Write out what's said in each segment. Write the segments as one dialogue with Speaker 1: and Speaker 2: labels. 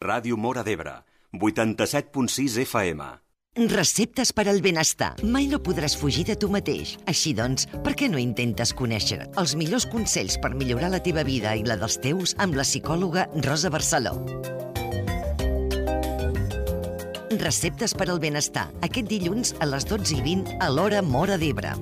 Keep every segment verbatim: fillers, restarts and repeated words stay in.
Speaker 1: Ràdio Móra d'Ebre, vuitanta-set punt sis F M.
Speaker 2: Receptes per al benestar. Mai no podràs fugir de tu mateix. Així doncs, per què no intentes conèixer els millors consells per millorar la teva vida i la dels teus amb la psicòloga Rosa Barceló? Receptes per al benestar. Aquest dilluns a les dotze i vint a l'Hora Móra d'Ebre.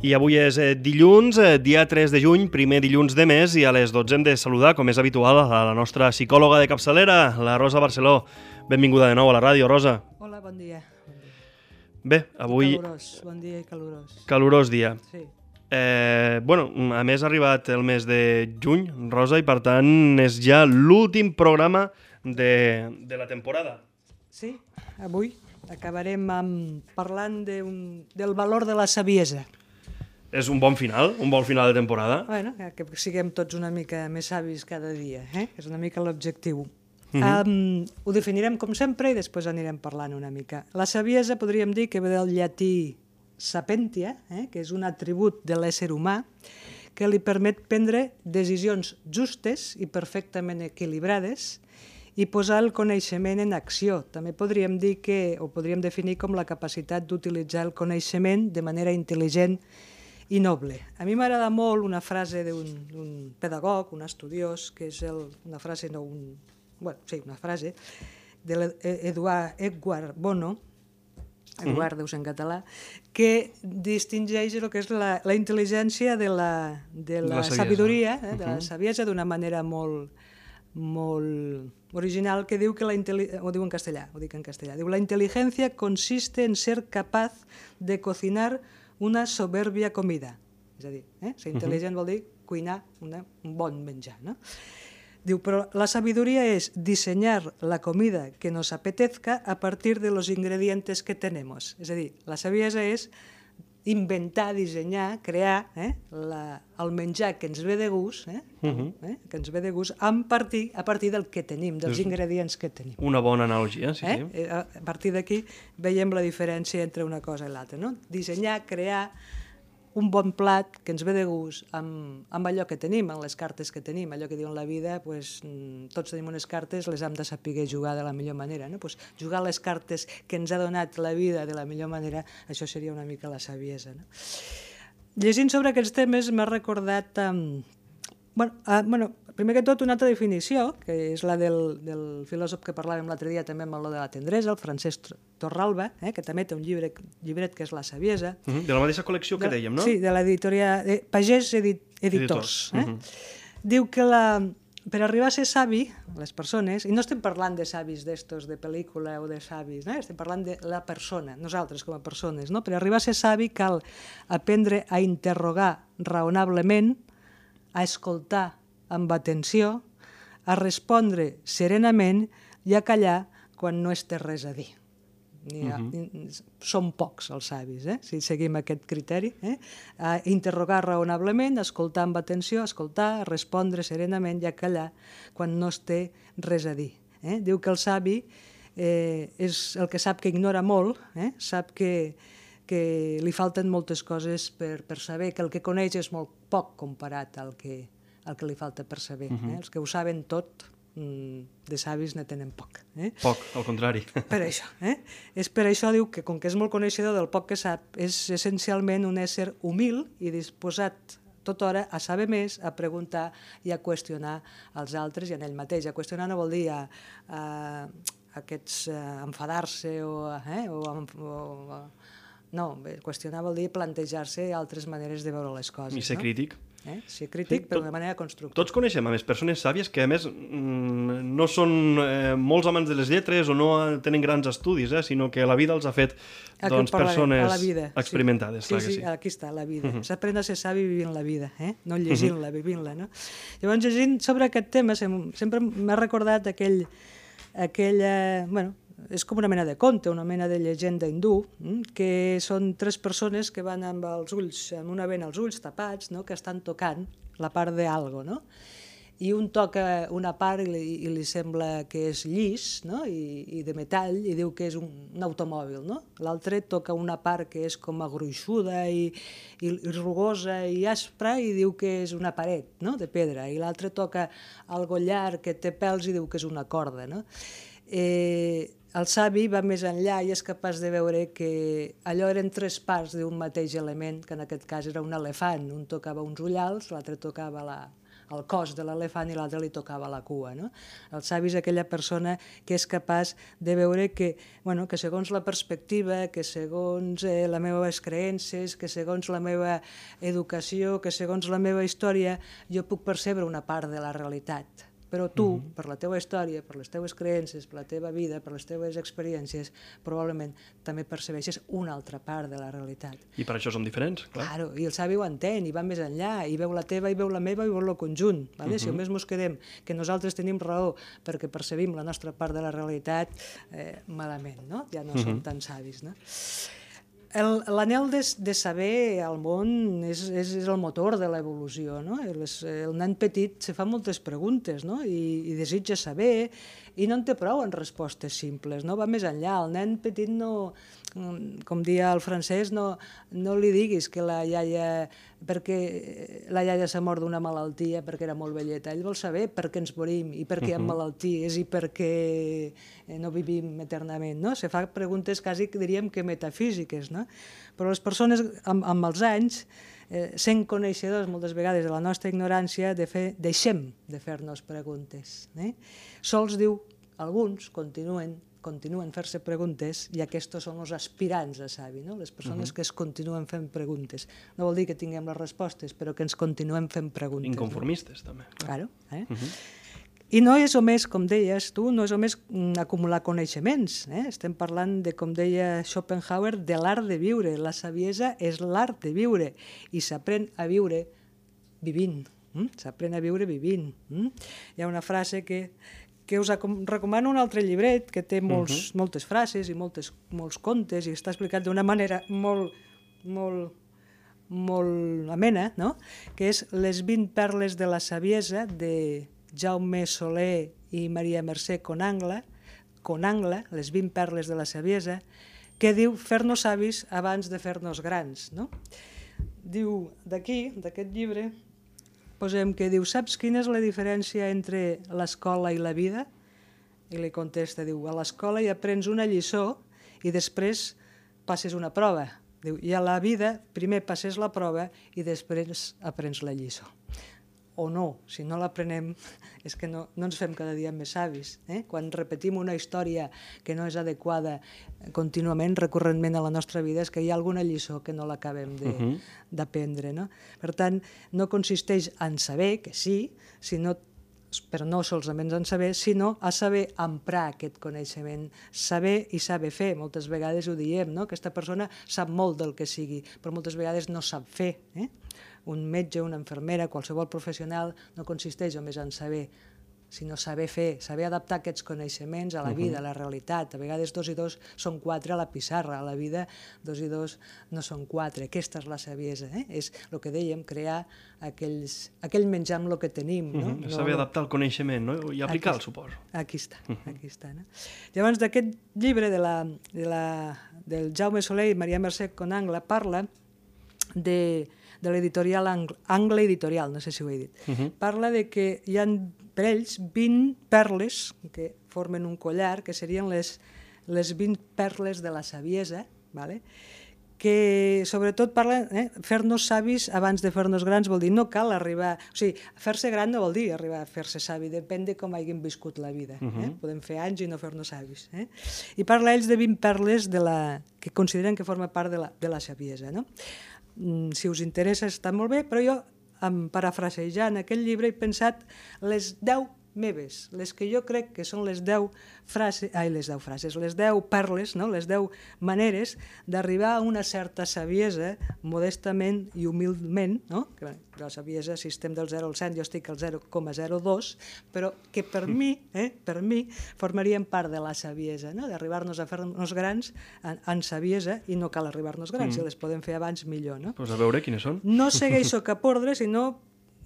Speaker 3: I avui és eh, dilluns, eh, dia tres de juny, primer dilluns de mes, i a les dotze hem de saludar, com és habitual, a la nostra psicòloga de capçalera, la Rosa Barceló. Benvinguda de nou a la ràdio, Rosa.
Speaker 4: Hola, bon dia. Bon dia.
Speaker 3: Bé, avui...
Speaker 4: Calorós, bon dia i calorós.
Speaker 3: Calorós dia.
Speaker 4: Sí.
Speaker 3: Eh, bueno, a més ha arribat el mes de juny, Rosa, i per tant és ja l'últim programa de, de la temporada.
Speaker 4: Sí, avui acabarem amb, parlant de un, del valor de la saviesa.
Speaker 3: És un bon final, un bon final de temporada.
Speaker 4: Bueno, que siguem tots una mica més savis cada dia, eh? És una mica l'objectiu.
Speaker 3: Mhm.
Speaker 4: um, ho definirem com sempre i després anirem parlant una mica. La saviesa podríem dir que ve del llatí sapientia, eh? Que és un atribut de l'ésser humà que li permet prendre decisions justes i perfectament equilibrades i posar el coneixement en acció. També podríem dir que, o podríem definir com la capacitat d'utilitzar el coneixement de manera intel·ligent i noble. A mi m'agrada molt una frase d'un pedagog, un estudiós, que és el, una frase, no un... Bueno, sí, una frase, de l'Eduard Edward Bono, Eduard mm-hmm. deus en català, que distingeix el que és la, la intel·ligència de la, de la, la sabidoria, eh, de la saviesa d'una manera molt, molt original, que diu que la intel·ligència, ho diu en castellà, ho dic en castellà, diu la intel·ligència consiste en ser capaz de cocinar una soberbia comida. És a dir, eh? ser intel·ligent vol dir cuinar una, un bon menjar. No? Diu, però la sabiduría es diseñar la comida que nos apetezca a partir de los ingredientes que tenemos. És a dir, la saviesa és inventar, dissenyar, crear eh? la, el menjar que ens ve de gust, eh? Uh -huh. eh? que ens ve de gust a partir, a partir del que tenim, dels ingredients que tenim.
Speaker 3: Una bona analogia, sí,
Speaker 4: eh?
Speaker 3: sí.
Speaker 4: A partir d'aquí veiem la diferència entre una cosa i l'altra. No? Dissenyar, crear un bon plat que ens ve de gust amb, amb allò que tenim, amb les cartes que tenim, allò que diuen la vida, pues, tots tenim unes cartes, les hem de saber jugar de la millor manera. No? Pues, jugar les cartes que ens ha donat la vida de la millor manera, això seria una mica la saviesa. No? Llegint sobre aquests temes m'ha recordat... Um, bueno, uh, bueno, primer que tot una altra definició, que és la del, del filòsof que parlàvem l'altre dia també amb el de la tendresa, el Francesc Torralba, eh, que també té un llibre, llibret que és La saviesa.
Speaker 3: Uh -huh. De la mateixa col·lecció que
Speaker 4: de,
Speaker 3: dèiem, no?
Speaker 4: Sí, de l'editoria de Pagès Edit, Editors. Eh? Uh -huh. Diu que la, per arribar a ser savi, les persones, i no estem parlant de savis d'estos de pel·lícula o de savis, eh? estem parlant de la persona, nosaltres com a persones, no? Per arribar a ser savi cal aprendre a interrogar raonablement, a escoltar amb atenció, a respondre serenament i a callar quan no es té res a dir. Ha, uh-huh. Són pocs els savis, eh? si seguim aquest criteri. Eh? A interrogar raonablement, a escoltar amb atenció, a escoltar, a respondre serenament i a callar quan no es té res a dir. Eh? Diu que el savi eh, és el que sap que ignora molt, eh? sap que que li falten moltes coses per, per saber, que el que coneix és molt poc comparat al que, al que li falta per saber. Uh-huh. eh? Els que ho saben tot, de savis ne tenen poc. Eh?
Speaker 3: Poc, al contrari.
Speaker 4: Per això. Eh? És per això, diu, que com que és molt coneixedor del poc que sap, és essencialment un ésser humil i disposat tota hora a saber més, a preguntar i a qüestionar els altres i en ell mateix. A qüestionar no vol dir a, a, a aquests a enfadar-se o, eh? o, o a, no, qüestionar vol dir plantejar-se altres maneres de veure les coses.
Speaker 3: I ser
Speaker 4: no?
Speaker 3: crític.
Speaker 4: Eh? Ser crític, sí, però d'una manera constructiva.
Speaker 3: Tots coneixem, a més, persones sàvies que, a més, no són eh, molts amants de les lletres o no tenen grans estudis, eh, sinó que la vida els ha fet doncs, persones vida, experimentades.
Speaker 4: Sí,
Speaker 3: clar
Speaker 4: sí,
Speaker 3: que
Speaker 4: sí,
Speaker 3: sí,
Speaker 4: aquí està, la vida.
Speaker 3: Uh-huh.
Speaker 4: S'aprèn a ser savi vivint la vida, eh? no llegint-la, vivint-la. No? Llavors, llegint sobre aquest tema, sempre m'ha recordat aquell... aquell eh, bueno, és com una mena de conte, una mena de llegenda hindú, que són tres persones que van amb els ulls, amb una vena als ulls tapats, no? que estan tocant la part d'algo, no? i un toca una part i li, i li sembla que és llis, no? I, i de metall, i diu que és un, un automòbil, no? L'altre toca una part que és com a gruixuda i, i, i rugosa i aspra i diu que és una paret, no? De pedra, i l'altre toca algo llarg que té pèls i diu que és una corda, no? Eh, el savi va més enllà i és capaç de veure que allò eren tres parts d'un mateix element, que en aquest cas era un elefant. Un tocava uns ullals, l'altre tocava la, el cos de l'elefant i l'altre li tocava la cua. No? El savi és aquella persona que és capaç de veure que, bueno, que segons la perspectiva, que segons eh, les meves creences, que segons la meva educació, que segons la meva història, jo puc percebre una part de la realitat. Però tu, uh-huh. per la teva història, per les teves creences, per la teva vida, per les teves experiències, probablement també percebeixes una altra part de la realitat.
Speaker 3: I per això som diferents, clar.
Speaker 4: Claro, i el savi ho entén, i va més enllà, i veu la teva, i veu la meva, i veu el conjunt. Vale? Uh-huh. Si només mos quedem que nosaltres tenim raó perquè percebim la nostra part de la realitat, eh, malament, no? Ja no uh-huh. som tan savis, no? L'anhel de, de saber al món és, és, és el motor de l'evolució. No? El, el nen petit se fa moltes preguntes, no? I, i desitja saber i no en té prou en respostes simples, no? Va més enllà. El nen petit no, com dia el francès, no, no li diguis que la iaia, perquè la iaia s'ha mort d'una malaltia perquè era molt velleta. Ell vol saber per què ens morim i per què hi ha malalties i per què no vivim eternament. No? Se fa preguntes quasi, diríem, que metafísiques. No? Però les persones, amb, amb els anys, eh, sent coneixedors moltes vegades de la nostra ignorància, de fer, deixem de fer-nos preguntes. Eh? Sols diu, alguns continuen continuen fer-se preguntes i aquests són els aspirants a savi, no? Les persones uh-huh. que es continuen fent preguntes. No vol dir que tinguem les respostes, però que ens continuem fent preguntes.
Speaker 3: Inconformistes, no? també.
Speaker 4: Claro. Eh?
Speaker 3: Uh-huh.
Speaker 4: I no és només, com deies tu, no és només acumular coneixements. Eh? Estem parlant, de, com deia Schopenhauer, de l'art de viure. La saviesa és l'art de viure i s'aprèn a viure vivint. Mm? S'aprèn a viure vivint. Mm? Hi ha una frase que que us recomano un altre llibret que té molts, uh-huh. moltes frases i moltes, molts contes i està explicat d'una manera molt, molt, molt amena, no? Que és Les vint perles de la saviesa de Jaume Soler i Maria Mercè Conangla, Conangla, Les vint perles de la saviesa, que diu fer-nos savis abans de fer-nos grans. No? Diu d'aquí, d'aquest llibre, posem que diu, saps quina és la diferència entre l'escola i la vida? I li contesta, diu, a l'escola hi aprens una lliçó i després passes una prova. Diu, i a la vida primer passes la prova i després aprens la lliçó. O no, si no l'aprenem és que no, no ens fem cada dia més savis. Eh? Quan repetim una història que no és adequada contínuament, recurrentment a la nostra vida, és que hi ha alguna lliçó que no l'acabem d'aprendre. Uh-huh. No? Per tant, no consisteix en saber, que sí, sinó, però no solament en saber, sinó a saber emprar aquest coneixement. Saber i saber fer, moltes vegades ho diem, no? Aquesta persona sap molt del que sigui, però moltes vegades no sap fer. Eh? Un metge, una infermera, qualsevol professional no consisteix només en saber, sinó saber fer, saber adaptar aquests coneixements a la vida, a la realitat. A vegades dos i dos són quatre a la pissarra, a la vida dos i dos no són quatre. Aquesta és la saviesa, eh? És el que dèiem, crear aquells, aquell menjar amb el que tenim. No?
Speaker 3: Uh-huh. Saber no, adaptar el coneixement, no? I aplicar-lo, suposo.
Speaker 4: Aquí està, uh-huh. aquí està. No? Llavors, d'aquest llibre de la, de la, del Jaume Soler i Maria Mercè Conangla parla de... de l'editorial Angle Editorial, no sé si ho he dit. Uh-huh. Parla de que hi ha per ells vint perles que formen un collar, que serien les, les vint perles de la saviesa, ¿vale? Que sobretot parla, eh, fer-nos savis abans de fer-nos grans vol dir no cal arribar, o sigui, fer-se gran no vol dir arribar a fer-se savi, depèn de com hàgim viscut la vida. Uh-huh. eh? Podem fer anys i no fer-nos savis. Eh? I parla ells de vint perles de la, que consideren que forma part de la, de la saviesa, no? Si us interessa està molt bé, però jo, parafrasejant aquest llibre, he pensat les deu meves, les que jo crec que són les deu frases, ai, les deu frases, les deu perles, no? Les deu maneres d'arribar a una certa saviesa, modestament i humilment, no? Que la saviesa, si estem del zero al cent, jo estic al zero coma zero dos, però que per mi, eh, per mi, formarien part de la saviesa, no? D'arribar-nos a fer-nos grans en, en saviesa, i no cal arribar-nos grans, mm. si les podem fer abans millor, no?
Speaker 3: Pues a veure quines són.
Speaker 4: No segueixo cap ordre, sinó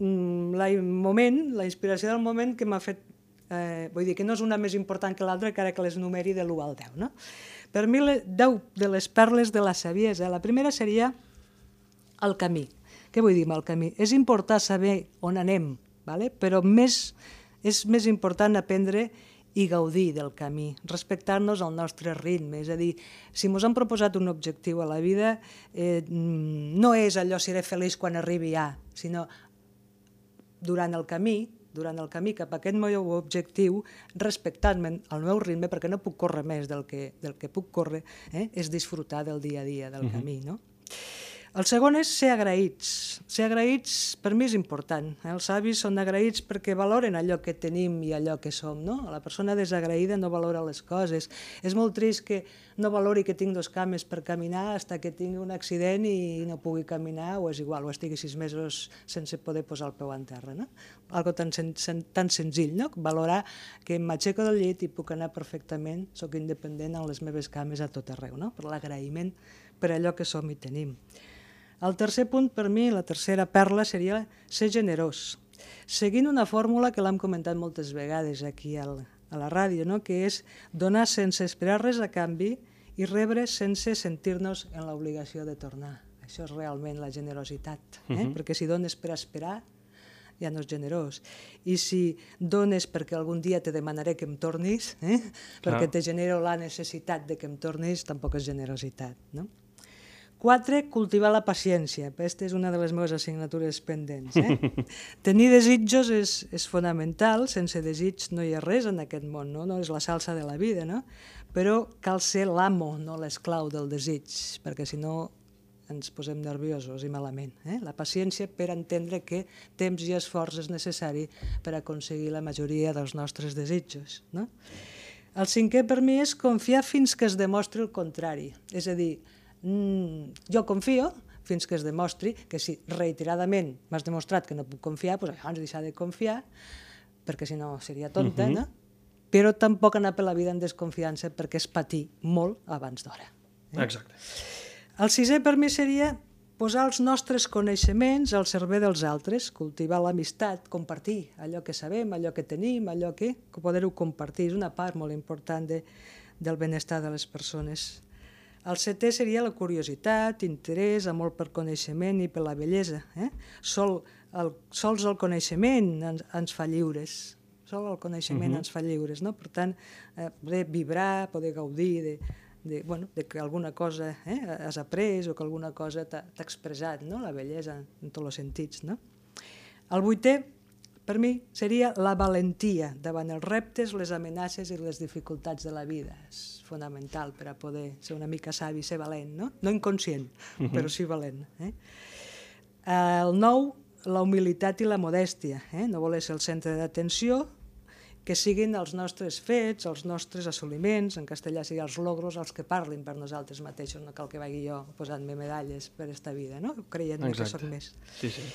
Speaker 4: el moment, la inspiració del moment que m'ha fet, eh, vull dir que no és una més important que l'altra, encara que les numeri de l'u al deu, no? Per mi, deu de les perles de la saviesa, la primera seria el camí. Què vull dir amb el camí? És important saber on anem, vale? Però més, és més important aprendre i gaudir del camí, respectar-nos al nostre ritme. És a dir, si ens hem proposat un objectiu a la vida, eh, no és allò seré feliç quan arribi a, sinó durant el camí, durant el camí cap a aquest meu objectiu, respectant-me el meu ritme, perquè no puc córrer més del que, del que puc córrer, eh, és disfrutar del dia a dia, del uh-huh. camí, no? El segon és ser agraïts. Ser agraïts per mi és important. Els savis són agraïts perquè valoren allò que tenim i allò que som, no? La persona desagraïda no valora les coses. És molt trist que no valori que tinc dos cames per caminar fins que tingui un accident i no pugui caminar, o és igual, o estigui sis mesos sense poder posar el peu en terra, no? Algo tan, sen tan senzill, no? Valorar que m'aixeco del llit i puc anar perfectament, soc independent en les meves cames a tot arreu, no? Per l'agraïment per allò que som i tenim. El tercer punt per mi, la tercera perla, seria ser generós, seguint una fórmula que l'hem comentat moltes vegades aquí al, a la ràdio, no? Que és donar sense esperar res a canvi i rebre sense sentir-nos en l'obligació de tornar. Això és realment la generositat, eh? Uh-huh. Perquè si dones per esperar, ja no és generós. I si dones perquè algun dia te demanaré que em tornis, eh? Perquè te genero la necessitat de que em tornis, tampoc és generositat, no? Quatre, cultivar la paciència. Aquesta és una de les meves assignatures pendents. Eh? Tenir desitjos és, és fonamental. Sense desig no hi ha res en aquest món, no? No és la salsa de la vida, no? Però cal ser l'amo, no l'esclau del desig, perquè si no ens posem nerviosos i malament. Eh? La paciència per entendre que temps i esforç és necessari per aconseguir la majoria dels nostres desitjos, no? El cinquè per mi és confiar fins que es demostri el contrari. És a dir, Mm, jo confio fins que es demostri que si reiteradament m'has demostrat que no puc confiar, doncs llavors deixar de confiar, perquè si no seria tonta, uh-huh. no? Però tampoc anar per la vida en desconfiança perquè és patir molt abans d'hora. Eh?
Speaker 3: Exacte.
Speaker 4: El sisè per mi seria posar els nostres coneixements al servei dels altres, cultivar l'amistat, compartir allò que sabem, allò que tenim, allò que, que poder-ho compartir. És una part molt important de, del benestar de les persones. El setè seria la curiositat, interès, amor per coneixement i per la bellesa. Eh? Sol, el, sols el coneixement ens, ens fa lliures. Sol el coneixement uh-huh. ens fa lliures. No? Per tant, eh, poder vibrar, poder gaudir de, de, bueno, de que alguna cosa eh, has après o que alguna cosa t'ha expressat, no? La bellesa en tots els sentits. No? El vuitè, per mi, seria la valentia davant els reptes, les amenaces i les dificultats de la vida. És fonamental per a poder ser una mica savi, ser valent, no? No inconscient, uh-huh. però sí valent. Eh? El nou, la humilitat i la modèstia. Eh? No voler ser el centre d'atenció, que siguin els nostres fets, els nostres assoliments, en castellà seria els logros, els que parlin per nosaltres mateixos, no cal que vagi jo posant-me medalles per esta vida, no? Creient-me que soc més. Sí, sí.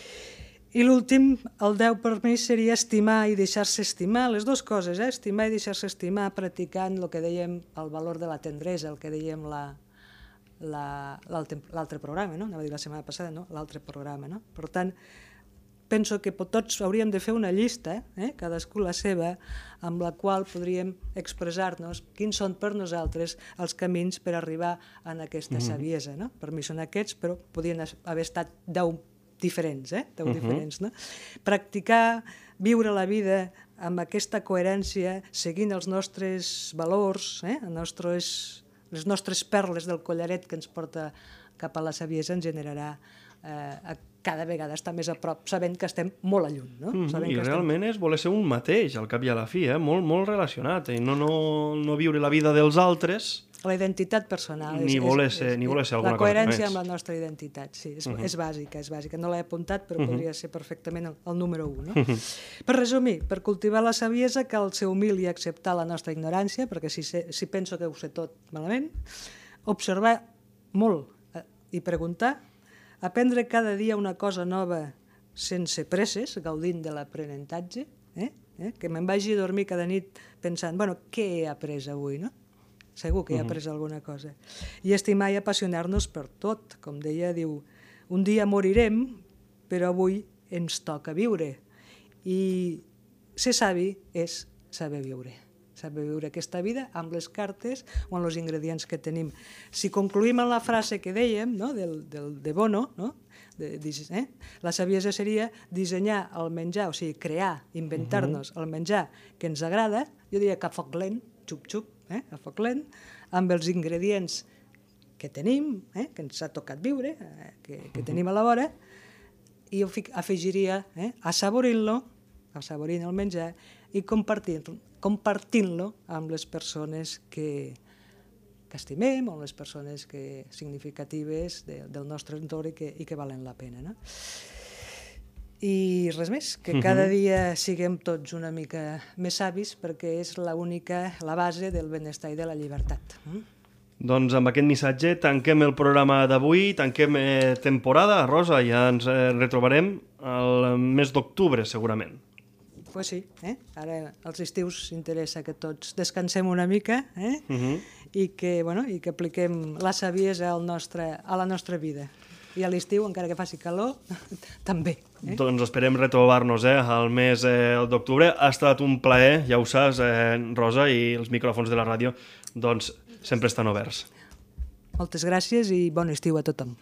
Speaker 4: I l'últim, el deu per mi, seria estimar i deixar-se estimar, les dues coses, eh? Estimar i deixar-se estimar, practicant el que dèiem, el valor de la tendresa, el que dèiem l'altre programa, no? Anava a dir la setmana passada, no? L'altre programa, no? Per tant, penso que tots hauríem de fer una llista, eh? Cadascú la seva, amb la qual podríem expressar-nos quins són per nosaltres els camins per arribar a aquesta saviesa, no? Per mi són aquests, però podien haver estat deu diferents, eh? Deu uh-huh. diferents, no? Practicar, viure la vida amb aquesta coherència, seguint els nostres valors, eh? els nostres, les nostres perles del collaret que ens porta cap a la saviesa, ens generarà eh, cada vegada estar més a prop, sabent que estem molt a lluny. No?
Speaker 3: Mm,
Speaker 4: sabent
Speaker 3: I
Speaker 4: que
Speaker 3: realment
Speaker 4: estem...
Speaker 3: és voler ser un mateix, al cap i a la fi, eh? molt, molt relacionat, i no, no, no viure la vida dels altres...
Speaker 4: La identitat personal.
Speaker 3: Ni voler ser, ni voler ser alguna
Speaker 4: cosa. La coherència
Speaker 3: cosa
Speaker 4: amb la nostra identitat, sí, és, uh-huh. és bàsica, és bàsica. No l'he apuntat, però uh-huh. podria ser perfectament el, el número un. No? Uh-huh. Per resumir, per cultivar la saviesa cal ser humil i acceptar la nostra ignorància, perquè si, sé, si penso que ho sé tot malament, observar molt eh, i preguntar, aprendre cada dia una cosa nova sense presses, gaudint de l'aprenentatge, eh? Eh? Que me'n vagi a dormir cada nit pensant, bueno, què he après avui, no? Segur que he après alguna cosa. I estimar i apassionar-nos per tot. Com deia, diu, un dia morirem, però avui ens toca viure. I ser savi és saber viure. Saber viure aquesta vida amb les cartes o amb els ingredients que tenim. Si concluïm en la frase que dèiem, no? del, del, de Bono, no? de, de, eh? la saviesa seria dissenyar el menjar, o sigui, crear, inventar-nos uh-huh. el menjar que ens agrada, jo diria que a foc lent, xup-xup, eh? a foc lent, amb els ingredients que tenim, eh? que ens ha tocat viure, eh? que, que uh-huh. tenim a la vora, i jo afegiria eh? assaborint-lo, assaborint el menjar, i compartint-lo compartint-lo amb les persones que, que estimem, o les persones que, significatives de, del nostre entorn i que, i que valen la pena. No? I res més, que cada dia siguem tots una mica més savis perquè és l'única, la base del benestar i de la llibertat. Mm?
Speaker 3: Doncs amb aquest missatge tanquem el programa d'avui, tanquem eh, temporada, Rosa, ja ens eh, retrobarem al mes d'octubre, segurament.
Speaker 4: Pues sí, eh? Ara als estius interessa que tots descansem una mica eh? uh-huh. I, que, bueno, i que apliquem la saviesa al nostre, a la nostra vida. I a l'estiu, encara que faci calor, també. Eh?
Speaker 3: Doncs esperem retrobar-nos eh, al mes eh, d'octubre. Ha estat un plaer, ja ho saps, eh, Rosa, i els micròfons de la ràdio doncs, sempre estan oberts.
Speaker 4: Moltes gràcies i bon estiu a tothom.